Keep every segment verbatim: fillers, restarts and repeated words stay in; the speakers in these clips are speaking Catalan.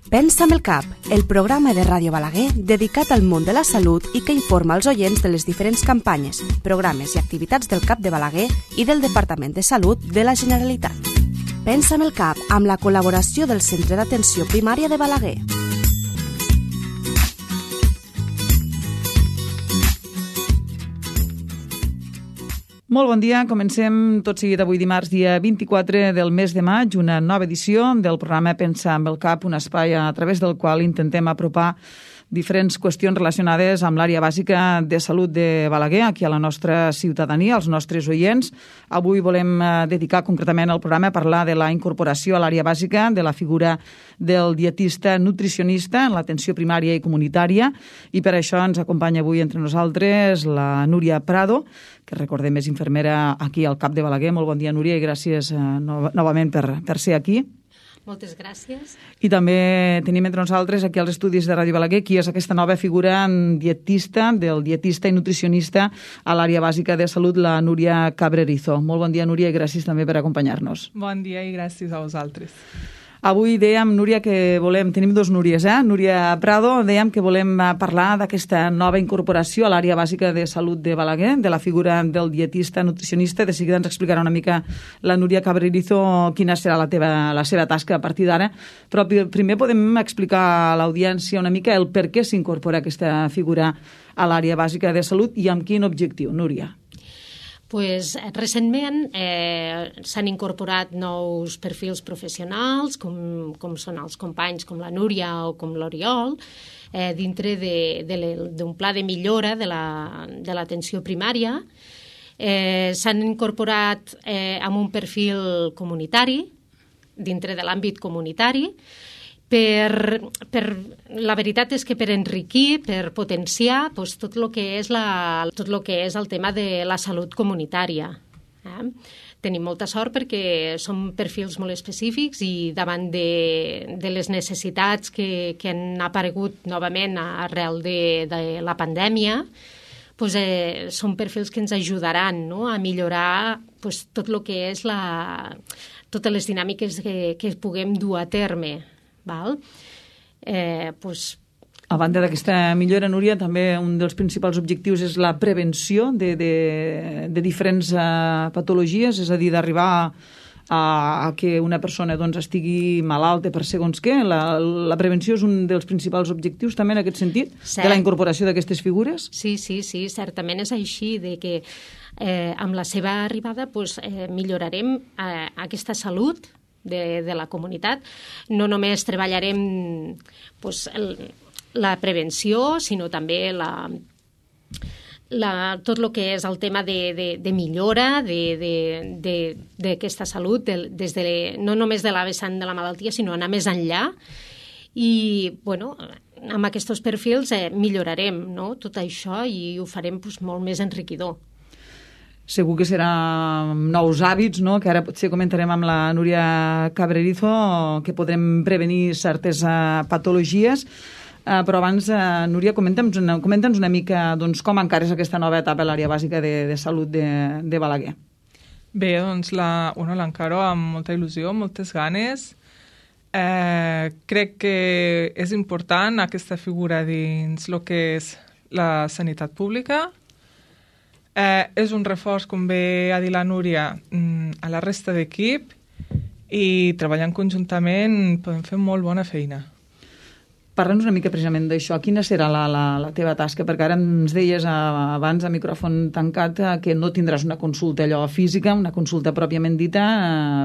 Pensa amb el cap, el programa de Ràdio Balaguer dedicat al món de la salut i que informa els oients de les diferents campanyes, programes i activitats del CAP de Balaguer i del Departament de Salut de la Generalitat. Pensa amb el cap, amb la col·laboració del Centre d'Atenció Primària de Balaguer. Molt bon dia, comencem tot seguit avui dimarts, dia vint-i-quatre del mes de maig, una nova edició del programa Pensa amb el cap, un espai a través del qual intentem apropar diferents qüestions relacionades amb l'àrea bàsica de salut de Balaguer, aquí a la nostra ciutadania, als nostres oients. Avui volem dedicar concretament el programa a parlar de la incorporació a l'àrea bàsica de la figura del dietista nutricionista en l'atenció primària i comunitària, i per això ens acompanya avui entre nosaltres la Núria Prado, que recordem és infermera aquí al CAP de Balaguer. Molt bon dia, Núria, i gràcies eh, no, novament per, per ser aquí. Moltes gràcies. I també tenim entre nosaltres aquí als estudis de Ràdio Balaguer qui és aquesta nova figura dietista, del dietista i nutricionista a l'àrea bàsica de salut, la Núria Cabrerizo. Molt bon dia, Núria, i gràcies també per acompanyar-nos. Bon dia i gràcies a vosaltres. Avui dèiem, Núria, que volem... Tenim dos Núries, eh? Núria Prado, dèiem que volem parlar d'aquesta nova incorporació a l'àrea bàsica de salut de Balaguer, de la figura del dietista nutricionista. De seguida ens explicarà una mica la Núria Cabrerizo quina serà la, teva, la seva tasca a partir d'ara. Però primer podem explicar a l'audiència una mica el per què s'incorpora aquesta figura a l'àrea bàsica de salut i amb quin objectiu, Núria. Pues, recentment eh, s'han incorporat nous perfils professionals, com, com són els companys com la Núria o com l'Oriol, eh, dintre d'un pla de millora de l'atenció la, primària. Eh, s'han incorporat eh, amb un perfil comunitari, dintre de l'àmbit comunitari, Per, per, la veritat és que per enriquir, per potenciar doncs, tot el que és la, tot lo que és el tema de la salut comunitària. Eh? Tenim molta sort perquè són perfils molt específics i davant de, de les necessitats que, que han aparegut novament arrel de, de la pandèmia, doncs, eh, són perfils que ens ajudaran, no?, a millorar doncs, tot el que és la, totes les dinàmiques que, que puguem dur a terme. Val? Eh, pues... A banda d'aquesta millora, Núria, també un dels principals objectius és la prevenció de, de, de diferents uh, patologies, és a dir, d'arribar a, a que una persona doncs, estigui malalta per segons què. La, la prevenció és un dels principals objectius també en aquest sentit, Cert. de la incorporació d'aquestes figures? Sí, sí, sí, certament és així, de que eh, amb la seva arribada pues, eh, millorarem eh, aquesta salut De, de la comunitat. No només treballarem pues, el, la prevenció, sinó també la, la, tot el que és el tema de, de, de millora d'aquesta salut, de, des de, no només de la vessant de la malaltia, sinó anar més enllà. I, bueno, amb aquests perfils eh, millorarem, no?, tot això i ho farem pues, molt més enriquidor. Segur que serà nous hàbits, no?, que ara potser comentarem amb la Núria Cabrerizo, que podrem prevenir certes uh, patologies. Uh, però abans, uh, Núria, comenta'ns una, comenta'ns una mica doncs, com encares aquesta nova etapa a l'àrea bàsica de, de salut de, de Balaguer. Bé, doncs la, bueno, l'encaro amb molta il·lusió, moltes ganes. Eh, crec que és important aquesta figura dins el que és la sanitat pública. Eh, és un reforç, com bé ha dit la Núria, a la resta d'equip i treballant conjuntament podem fer molt bona feina. Parla'ns una mica precisament d'això. Quina serà la, la, la teva tasca? Perquè ara ens deies abans a micròfon tancat que no tindràs una consulta allò física, una consulta pròpiament dita,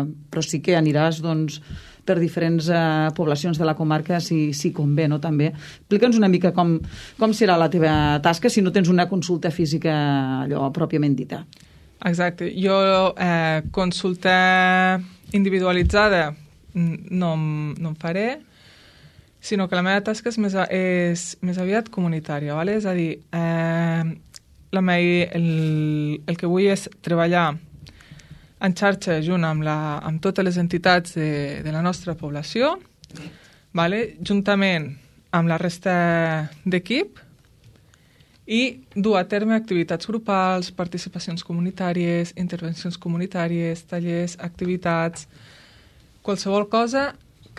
però sí que aniràs doncs, per diferents uh, poblacions de la comarca si, si convé, no? També. Explica'ns una mica com, com serà la teva tasca si no tens una consulta física allò pròpiament dita. Exacte. Jo eh, consulta individualitzada no, no en faré, sinó que la meva tasca és més, és més aviat comunitària. ¿vale? És a dir, eh, la meva, el, el que vull és treballar en xarxa junt amb, la, amb totes les entitats de, de la nostra població, vale? Juntament amb la resta d'equip, i dur a terme activitats grupals, participacions comunitàries, intervencions comunitàries, tallers, activitats, qualsevol cosa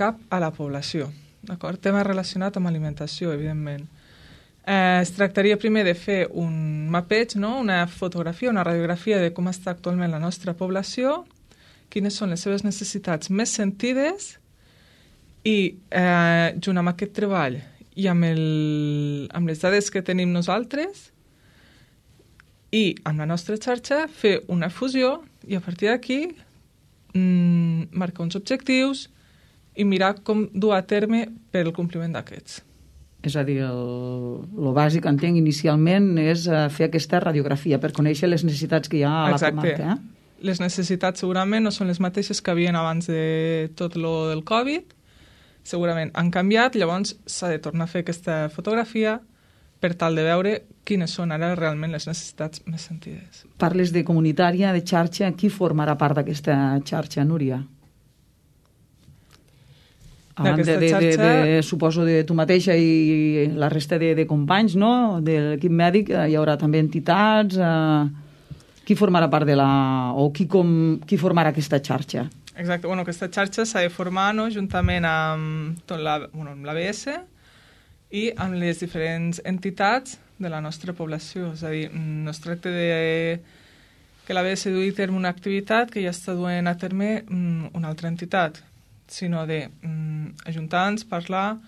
cap a la població. d'acord? Tema relacionat amb alimentació, evidentment. Eh, es tractaria primer de fer un mapeig, no? Una fotografia, una radiografia de com està actualment la nostra població, quines són les seves necessitats més sentides i, eh, junt amb aquest treball i amb, el, amb les dades que tenim nosaltres i amb la nostra xarxa, fer una fusió i a partir d'aquí mm, marcar uns objectius i mirar com dur a terme per el compliment d'aquests. És a dir, el, el bàsic, entenc, inicialment és uh, fer aquesta radiografia per conèixer les necessitats que hi ha a la Exacte. comarca. Eh? Les necessitats segurament no són les mateixes que havien abans de tot lo del Covid. Segurament han canviat, llavors s'ha de tornar a fer aquesta fotografia per tal de veure quines són ara realment les necessitats més sentides. Parles de comunitària, de xarxa. Qui formarà part d'aquesta xarxa, Núria? A banda de, xarxa... de, de, suposo, de tu mateixa i la resta de, de companys, no?, de l'equip mèdic, hi haurà també entitats. Eh, qui formarà part de la... o qui, com, qui formarà aquesta xarxa? Exacte. Bueno, aquesta xarxa s'ha de formar, no?, juntament amb, tot la, bueno, amb l'A B S i amb les diferents entitats de la nostra població. És a dir, no es tracta de que l'A B S dugui a terme una activitat que ja està duent a terme una altra entitat, sinó de mm, ajuntar-nos, parlar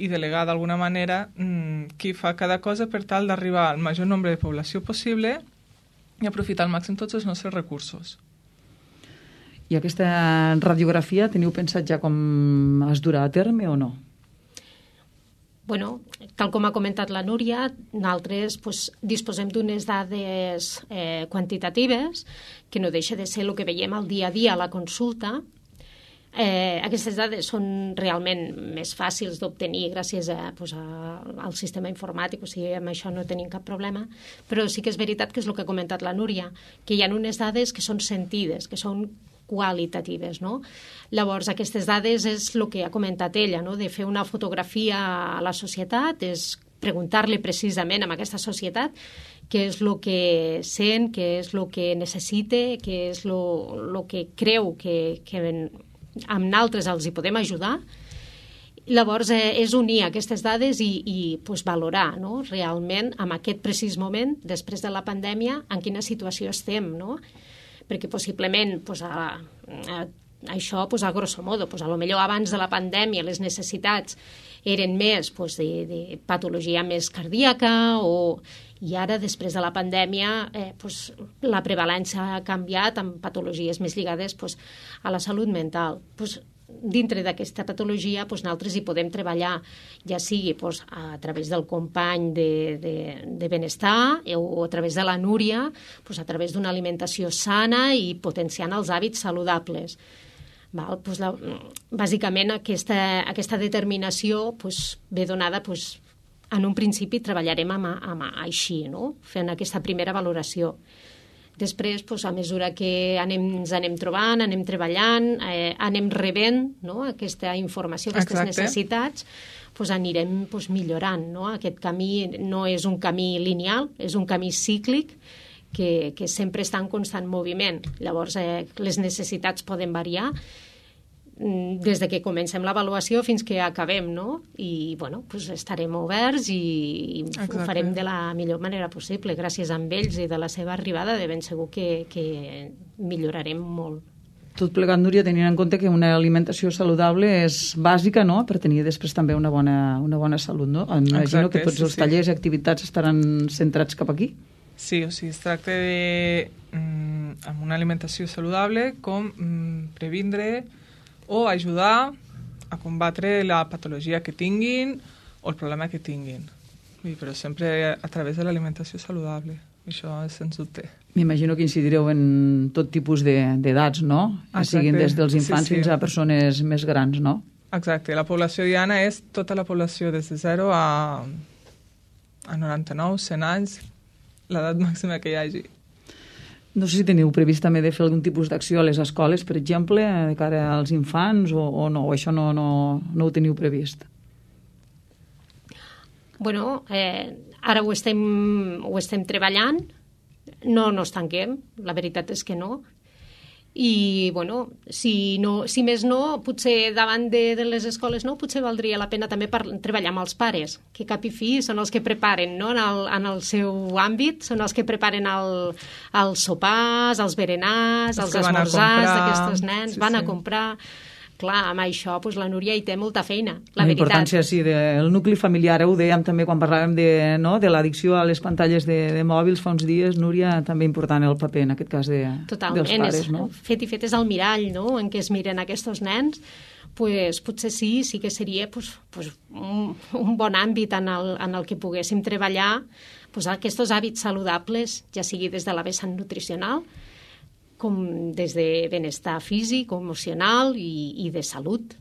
i delegar d'alguna manera mm, qui fa cada cosa per tal d'arribar al major nombre de població possible i aprofitar al màxim tots els nostres recursos. I aquesta radiografia teniu pensat ja com es durà a terme o no? Bueno, tal com ha comentat la Núria, nosaltres pues, disposem d'unes dades eh, quantitatives que no deixa de ser el que veiem al dia a dia a la consulta. Eh, aquestes dades són realment més fàcils d'obtenir gràcies a, pues, a, al sistema informàtic, o sigui, amb això no tenim cap problema, però sí que és veritat que és el que ha comentat la Núria, que hi ha unes dades que són sentides, que són qualitatives, no? Llavors, aquestes dades és el que ha comentat ella, no?, de fer una fotografia a la societat, és preguntar-li precisament a aquesta societat què és el que sent, què és el que necessita, què és el que creu que, que amb nosaltres els hi podem ajudar. Llavors, eh, és unir aquestes dades i, i pues, valorar, no?, realment, en aquest precís moment, després de la pandèmia, en quina situació estem, no? Perquè possiblement pues, a, a, això, pues, a grosso modo, pues, a lo millor abans de la pandèmia les necessitats eren més pues, de, de patologia més cardíaca, o, i ara, després de la pandèmia, eh, pues, la prevalència ha canviat amb patologies més lligades pues, a la salut mental. Pues, dintre d'aquesta patologia pues, nosaltres hi podem treballar, ja sigui pues, a través del company de, de, de benestar o a través de la Núria, pues, a través d'una alimentació sana i potenciant els hàbits saludables. Val? Pues, la, bàsicament aquesta, aquesta determinació pues, ve donada, pues, en un principi treballarem amb, amb així, no?, fent aquesta primera valoració. Després, pues, a mesura que anem, ens anem trobant, anem treballant, eh, anem rebent, no?, aquesta informació, aquestes Exacte. necessitats, pues, anirem pues, millorant, no? Aquest camí no és un camí lineal, és un camí cíclic que, que sempre està en constant moviment. Llavors, eh, les necessitats poden variar des de que comencem l'avaluació fins que acabem, no? I, bueno, pues estarem oberts i, i ho farem de la millor manera possible. Gràcies a ells i de la seva arribada, de ben segur que, que millorarem molt. Tot plegat, Núria, tenint en compte que una alimentació saludable és bàsica, no?, per tenir després també una bona, una bona salut, no? Imagino Exacte, que tots sí, els tallers i sí. activitats estaran centrats cap aquí. Sí, o sigui, es tracta de, mm, amb una alimentació saludable, com mm, previndre o ajudar a combatre la patologia que tinguin o el problema que tinguin. Vull dir, però sempre a través de l'alimentació saludable. Això és sens dubte. M'imagino que incidireu en tot tipus d'edats, de, no? Que siguin des dels infants sí, sí. fins a persones més grans, no? Exacte. La població diana és tota la població des de zero a, a noranta-nou, cent anys, l'edat màxima que hi hagi. No sé si teniu previst també de fer algun tipus d'acció a les escoles, per exemple, de cara als infants, o, o no, o això no, no, no ho teniu previst? Bueno, eh, ara ho estem, ho estem treballant, no, no ens tanquem, la veritat és que no, i, bueno, si, no, si més no, potser davant de, de les escoles no, potser valdria la pena també per, treballar amb els pares, que cap i fi són els que preparen, no? en, el, en el seu àmbit, són els que preparen el, els sopars, els berenars, els, els esmorzars d'aquests nens, sí, van sí. a comprar... Clar, amb això doncs, la Núria hi té molta feina, la, la veritat. La importància, sí, del nucli familiar, ho dèiem també quan parlàvem de, no, de l'addicció a les pantalles de, de mòbils fa uns dies, Núria, també important el paper, en aquest cas, de, Totalment, dels pares, és, no? Fet i fet és el mirall, no?, en què es miren aquests nens, pues, potser sí, sí que seria pues, pues, un, un bon àmbit en el, en el que poguéssim treballar pues, aquests hàbits saludables, ja sigui des de la vessant nutricional, com des de benestar físic, emocional i, i de salut.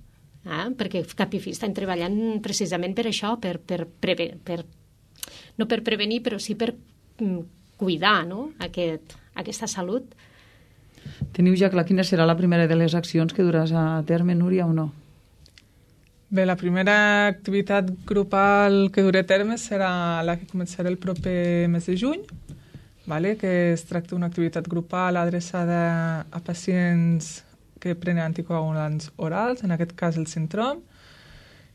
Eh? Perquè cap i fi estem treballant precisament per això, per, per, preve, per, no per prevenir, però sí per mm, cuidar, no? Aquest, aquesta salut. Teniu ja clar quina serà la primera de les accions que duràs a terme, Núria, o no? Bé, la primera activitat grupal que duré a terme serà la que començarà el proper mes de juny, vale? Que es tracta d'una activitat grupal adreçada a pacients que prenen anticoagulants orals, en aquest cas el Sintrom,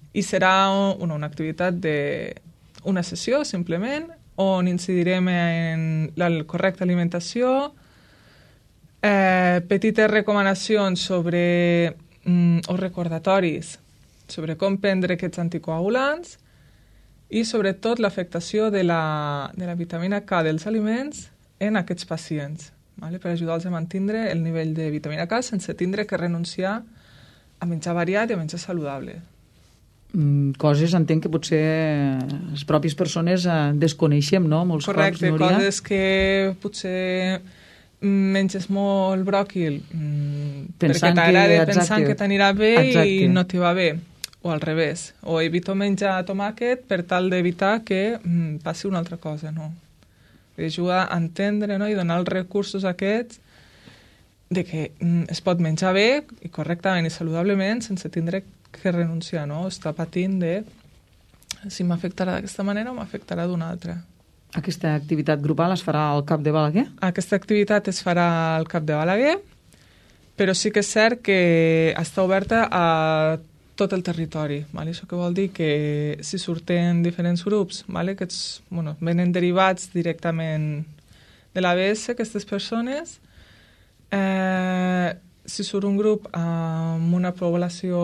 i serà una, una activitat d'una sessió, simplement, on incidirem en la correcta alimentació, eh, petites recomanacions sobre mm, o recordatoris sobre com prendre aquests anticoagulants, i sobretot l'afectació de la, de la vitamina K dels aliments en aquests pacients, vale? Per ajudar-los a mantenir el nivell de vitamina K sense tindre que renunciar a menjar variat i a menjar saludable. Mm, coses, entenc que potser les pròpies persones eh, desconeixem, no? Molts Correcte, cops, Núria. Coses que potser menges molt bròquil mm, pensant perquè t'agrada, que, pensant que t'anirà bé exacte. I no t'hi va bé. O al revés, o evito menjar tomàquet per tal d'evitar que mm, passi una altra cosa, no? Ajuda a entendre, no? I donar els recursos aquests de que mm, es pot menjar bé i correctament i saludablement sense tindre que renunciar, no? Estar patint de si m'afectarà d'aquesta manera o m'afectarà d'una altra. Aquesta activitat grupal es farà al Cap de Balaguer? Aquesta activitat es farà al Cap de Balaguer, però sí que és cert que està oberta a tot el territori. Vale? Això que vol dir que si surten diferents grups, vale? Que ets, bueno, venen derivats directament de l'A B S, aquestes persones, eh, si surt un grup amb una població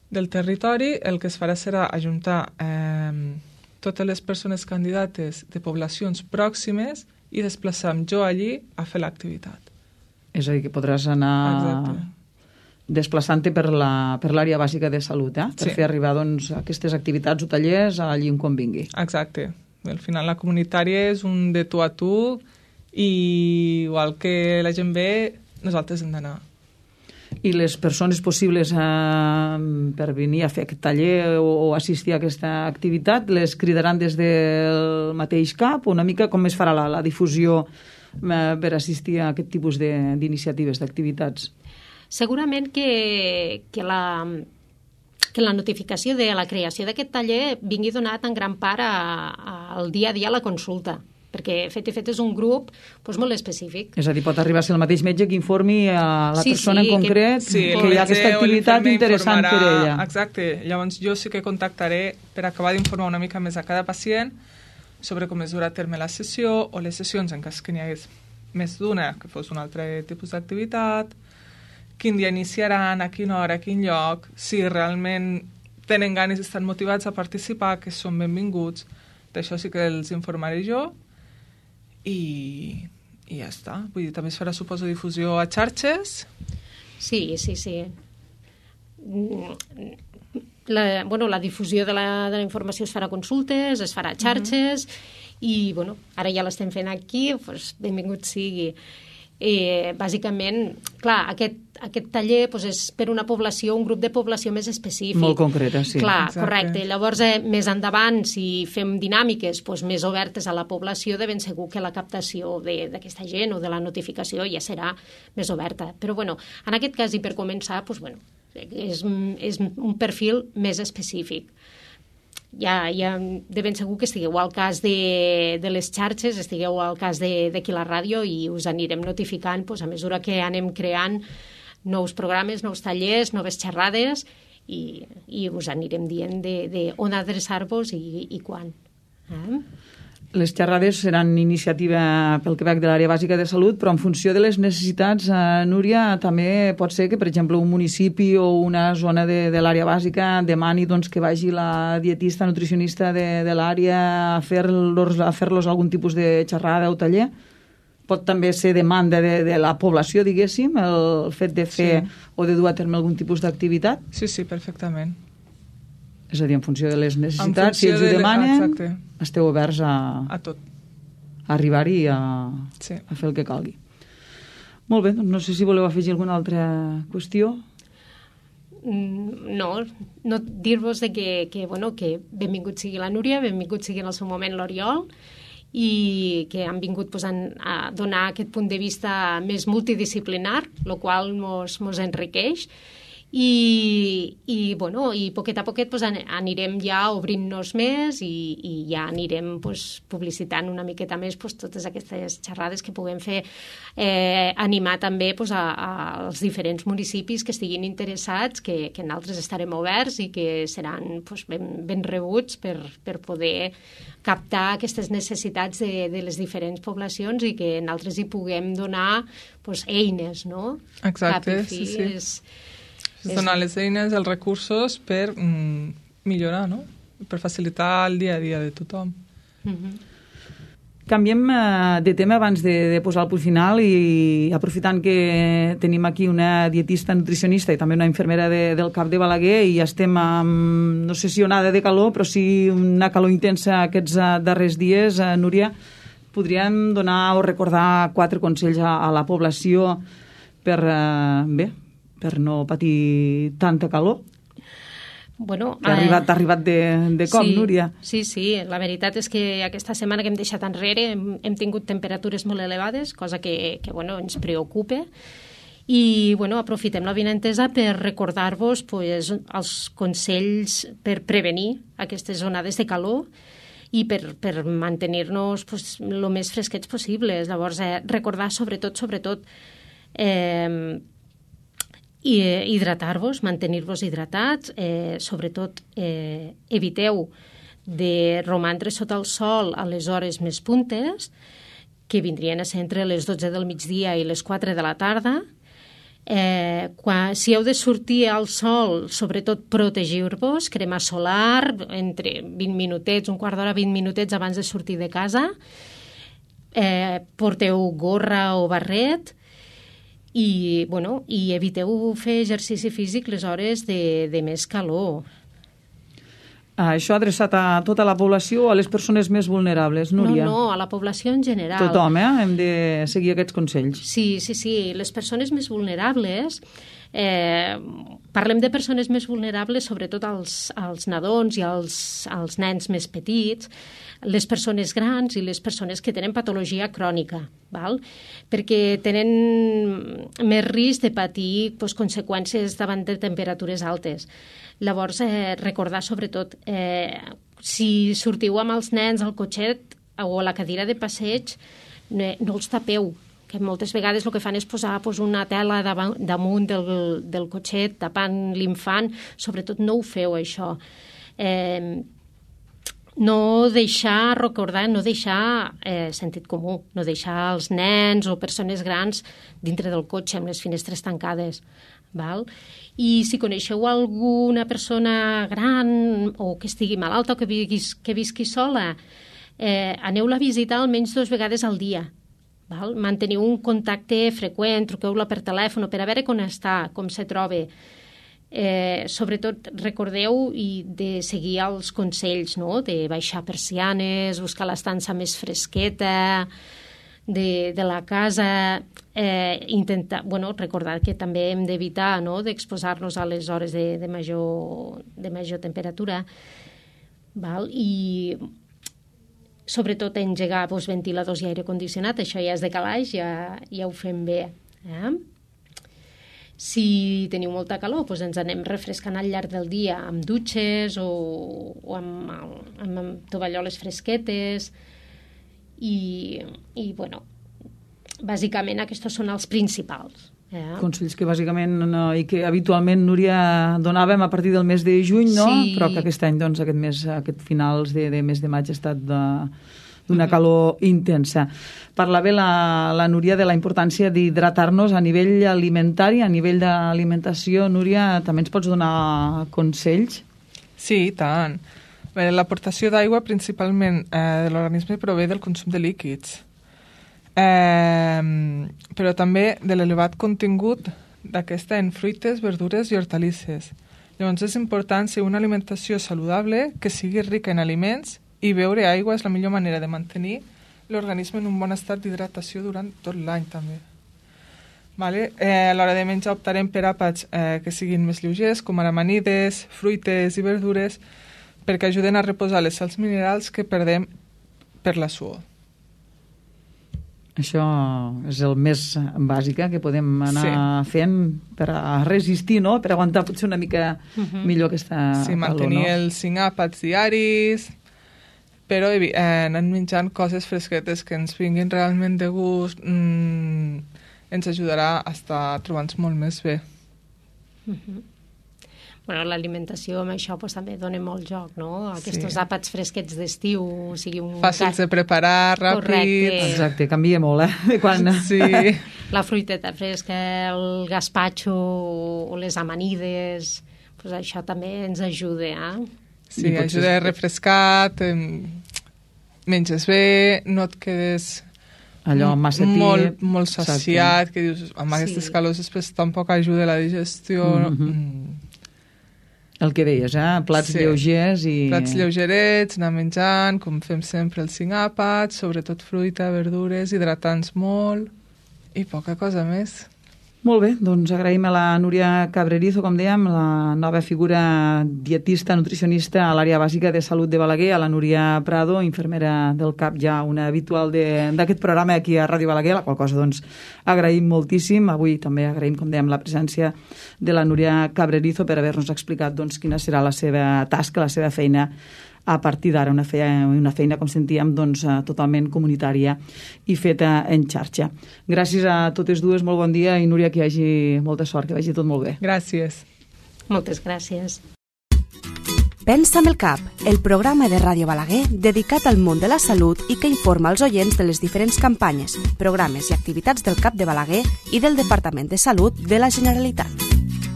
del territori, el que es farà serà ajuntar eh, totes les persones candidates de poblacions pròximes i desplaçar-me jo allí a fer l'activitat. És a dir, que podràs anar... Exacte. Desplaçant-te per la, per l'àrea bàsica de salut, eh? Per sí. fer arribar doncs, aquestes activitats o tallers allí on convingui. Exacte. Al final la comunitària és un de tu a tu i igual que la gent ve, nosaltres hem d'anar. I les persones possibles eh, per venir a fer aquest taller o, o assistir a aquesta activitat, les cridaran des del mateix cap o una mica com es farà la, la difusió eh, per assistir a aquest tipus d'iniciatives, d'activitats? Segurament que, que, la, que la notificació de la creació d'aquest taller vingui donat en gran part a, a, al dia a dia a la consulta, perquè fet i fet és un grup doncs, molt específic. És a dir, pot arribar a ser el mateix metge que informi a la sí, persona sí, en concret que, sí, que hi ha aquesta activitat interessant per ella. Exacte. Llavors jo sí que contactaré per acabar d'informar una mica més a cada pacient sobre com es durà a terme la sessió o les sessions en cas que n'hi hagués més d'una, que fos un altre tipus d'activitat, quin dia iniciaran, a quina hora, a quin lloc, si realment tenen ganes i estan motivats a participar, que són benvinguts. D'això sí que els informaré jo i, i ja està. Vull dir, també es farà, suposo, difusió a xarxes. Sí, sí, sí. La, bueno, la difusió de la, de la informació es farà a consultes, es farà a xarxes, uh-huh. i bueno, ara ja l'estem fent aquí, doncs benvingut sigui. Eh, bàsicament, clar, aquest, aquest taller doncs, és per una població, un grup de població més específic. Molt concreta, sí. Clar, exacte. Correcte. Llavors, eh, més endavant, si fem dinàmiques doncs, més obertes a la població, de ben segur que la captació d'aquesta gent o de la notificació ja serà més oberta. Però, bueno, en aquest cas, i per començar, doncs, bueno, és, és un perfil més específic. ja, ja de ben segur que estigueu al cas de, de les xarxes, estigueu al cas d'aquí la ràdio i us anirem notificant pues, a mesura que anem creant nous programes, nous tallers, noves xerrades i, i us anirem dient de, de on adreçar-vos i, i quan. Eh? Les xerrades seran iniciativa pel Quebec de l'àrea bàsica de salut, però en funció de les necessitats, eh, Núria, també pot ser que, per exemple, un municipi o una zona de, de l'àrea bàsica demani doncs, que vagi la dietista, nutricionista de, de l'àrea a fer-los a fer-los algun tipus de xerrada o taller. Pot també ser demanda de, de la població, diguéssim, el fet de fer sí. o de dur a terme algun tipus d'activitat? Sí, sí, perfectament. És a dir, en funció de les necessitats, si ells ho demanen, exacte. Esteu oberts a, a tot. A arribar-hi i a, sí. a fer el que calgui. Molt bé, doncs no sé si voleu afegir alguna altra qüestió. No, no dir-vos que, que, bueno, que benvingut sigui la Núria, benvingut sigui en el seu moment l'Oriol, i que han vingut pues, a donar aquest punt de vista més multidisciplinar, el qual mos, mos enriqueix. I, i, bueno, i poquet a poquet pues, anirem ja obrint-nos més i, i ja anirem pues, publicitant una miqueta més pues, totes aquestes xerrades que puguem fer, eh, animar també pues, a, a, als diferents municipis que estiguin interessats, que, que nosaltres estarem oberts i que seran pues, ben, ben rebuts per, per poder captar aquestes necessitats de, de les diferents poblacions i que nosaltres hi puguem donar pues, eines, no? Exacte, sí, sí. És, és donar les eines, els recursos per mm, millorar, no? Per facilitar el dia a dia de tothom. Mm-hmm. Canviem eh, de tema abans de, de posar el punt final i aprofitant que tenim aquí una dietista nutricionista i també una infermera de, del C A P de Balaguer i estem amb, no sé si onada de calor, però sí una calor intensa aquests uh, darrers dies, uh, Núria, podríem donar o recordar quatre consells a, a la població per, uh, bé, per no patir tanta calor? Bueno, T'ha arribat, t'ha arribat de, de cop, sí, Núria? Sí, sí. La veritat és que aquesta setmana que hem deixat enrere hem, hem tingut temperatures molt elevades, cosa que, que bueno, ens preocupa. I bueno, aprofitem la vinentesa per recordar-vos pues, els consells per prevenir aquestes onades de calor i per, per mantenir-nos pues, el més fresquets possibles. Llavors, eh, recordar sobretot, sobretot, eh, i eh, hidratar-vos, mantenir-vos hidratats, eh, sobretot eh, eviteu de romandre sota el sol a les hores més puntes, que vindrien a ser entre les dotze del migdia i les quatre de la tarda. Eh, quan, si heu de sortir al sol, sobretot protegiu-vos, crema solar, entre vint minutets, un quart d'hora, vint minutets abans de sortir de casa. Eh, porteu gorra o barret, i, bueno, i eviteu fer exercici físic les hores de, de més calor. Això adreçat a tota la població o a les persones més vulnerables, Núria? No, no, a la població en general. Tothom, eh? Hem de seguir aquests consells. Sí, sí, sí. Les persones més vulnerables, eh, parlem de persones més vulnerables, sobretot als, als nadons i als, als nens més petits, les persones grans i les persones que tenen patologia crònica, val? Perquè tenen més risc de patir pues, conseqüències davant de temperatures altes. Llavors, eh, recordar sobretot, eh, si sortiu amb els nens al cotxet o a la cadira de passeig, no, no els tapeu, que moltes vegades el que fan és posar pues, una tela damunt del, del cotxet tapant l'infant. Sobretot no ho feu, això. Eh, no deixar, recordar, no deixar eh, sentit comú, no deixar els nens o persones grans dintre del cotxe amb les finestres tancades. Val? I si coneixeu alguna persona gran o que estigui malalta o que visqui, que visqui sola, eh, aneu-la a visitar almenys dues vegades al dia. Val? Manteniu un contacte freqüent, truqueu-la per telèfon per a veure com està, com se troba. Eh, sobretot recordeu i de seguir els consells, no? De baixar persianes, buscar l'estança més fresqueta de, de la casa, eh, intentar, bueno, recordar que també hem d'evitar, no? D'exposar-nos a les hores de, de, major, de major temperatura, val? I sobretot engegar doncs, ventiladors i aire condicionat, això ja és de calaix, ja, ja ho fem bé. Eh? Si teniu molta calor, doncs ens anem refrescant al llarg del dia amb dutxes o, o amb, amb, amb tovalloles fresquetes i, i bueno, bàsicament aquests són els principals. Eh? Consells que bàsicament no, i que habitualment, Núria, donàvem a partir del mes de juny, no? Sí. Però que aquest any, doncs, aquest mes, aquest finals de, de mes de maig ha estat de, d'una calor intensa. Parlava la, la Núria de la importància d'hidratar-nos a nivell alimentari, a nivell d'alimentació. Núria, també ens pots donar consells? Sí, i tant. Bé, l'aportació d'aigua principalment eh, de l'organisme prové del consum de líquids. Eh, però també de l'elevat contingut d'aquesta en fruites, verdures i hortalisses. Llavors és important ser una alimentació saludable que sigui rica en aliments i beure aigua és la millor manera de mantenir l'organisme en un bon estat d'hidratació durant tot l'any també. Vale? Eh, a l'hora de menjar optarem per àpats eh, que siguin més lleugers, com ara amanides, fruites i verdures, perquè ajuden a reposar les sals minerals que perdem per la suor. Això és el més bàsic que podem anar sí. fent per a resistir, no? Per aguantar potser una mica uh-huh. millor aquesta sí, calor, mantenir no? els cinc àpats diaris, però eh, anant menjant coses fresquetes que ens vinguin realment de gust mmm, ens ajudarà a estar trobant-nos molt més bé. Uh-huh. Bueno, l'alimentació amb això pues, també dona molt joc, no? Aquests sí. àpats fresquets d'estiu, o sigui un... Fàcils de preparar, ràpids... Correcte. Exacte, canvia molt, eh? Quan... Sí. La fruiteta fresca, el gazpacho o les amanides, pues això també ens ajuda, eh? Sí, ajuda a refrescar, menges bé, no et quedes... Allò massa tip... Molt, molt saciat, que dius, amb aquestes sí. calors després tampoc ajuda la digestió... Mm-hmm. El que deies, eh? Plats sí. lleugers i... Plats lleugerets, anar menjant, com fem sempre els cinc àpats, sobretot fruita, verdures, hidratants molt i poca cosa més. Molt bé, doncs agraïm a la Núria Cabrerizo, com dèiem, la nova figura dietista, nutricionista a l'àrea bàsica de salut de Balaguer, a la Núria Prado, infermera del CAP, ja una habitual d'aquest programa aquí a Ràdio Balaguer, la qual cosa doncs agraïm moltíssim. Avui també agraïm, com dèiem, la presència de la Núria Cabrerizo per haver-nos explicat doncs, quina serà la seva tasca, la seva feina a partir d'ara, una feina, una feina com sentíem, doncs, totalment comunitària i feta en xarxa. Gràcies a totes dues, molt bon dia, i Núria, que hi hagi molta sort, que vagi tot molt bé. Gràcies. Moltes gràcies. Pensa amb el cap, el programa de Ràdio Balaguer dedicat al món de la salut i que informa els oients de les diferents campanyes, programes i activitats del CAP de Balaguer i del Departament de Salut de la Generalitat.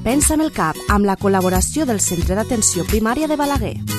Pensa amb el cap, amb la col·laboració del Centre d'Atenció Primària de Balaguer.